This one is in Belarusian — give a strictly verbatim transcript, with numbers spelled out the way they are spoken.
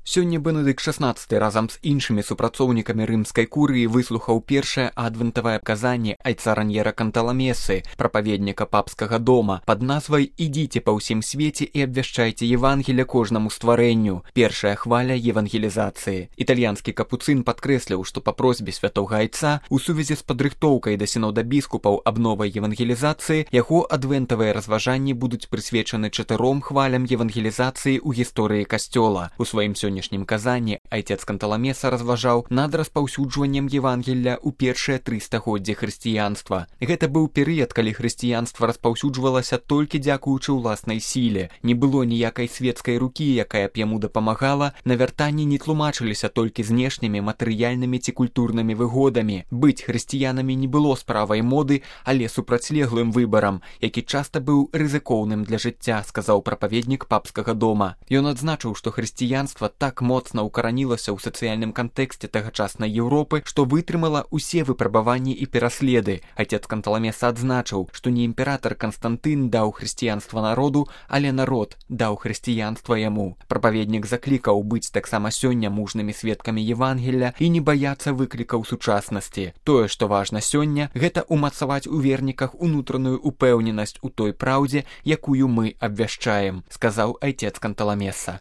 Сёння Бенедыкт шаснаццаты разам з іншымі супрацоўнікамі рымскай курыі выслухаў першае адвентавае казанне айца Раньера Канталамесы, прапаведніка папскага дома, пад назвай «Ідзіце па ўсім свеце і абвяшчайце Евангелля кожнаму стварэнню». Першая хваля евангелізацыі. Італьянскі капуцын падкрэсліў, што па просьбе святога айца у сувязі з падрыхтоўкай да сінода біскупаў аб новай евангелізацыі яго адвентавыя разважанні будуць прысвечаны чатыром хвалям евангелізацыі ў гісторыі касцёла. У сваім сённяшнім казанні айцец Канталамеса разважаў над распаўсюджваннем Евангелля ў першыя тры стагоддзі хрысціянства. Гэта быў перыяд, калі хрысціянства распаўсюджвалася толькі дзякуючы ўласнай сіле. Не было ніякай свецкай рукі, якая б яму дапамагала, навяртанні не тлумачыліся толькі знешнімі матэрыяльнымі ці культурнымі выгодамі. Быць хрысціянамі не было справай моды, але супрацьлеглым выбарам, які часта быў рызыкоўным для жыцця, сказаў прапаведнік папскага дома. Ён адзначыў, што хрысціянства так моцна укаранілася ў сацыяльным кантэксце тагачаснай Еўропы, што вытрымала ўсе выпрабаванні і пераследы. Айцец Канталамеса адзначыў, што не імператар Канстантын даў хрысціянства народу, але народ даў хрысціянства яму. Прапаведнік заклікаў быць таксама сёння мужнымі сведкамі Евангелля і не баяцца выклікаў сучаснасці. Тое, што важна сёння, гэта умацаваць у верніках унутраную упэўненасць у той праўдзе, якую мы абвяшчаем, сказаў айцец Канталамеса.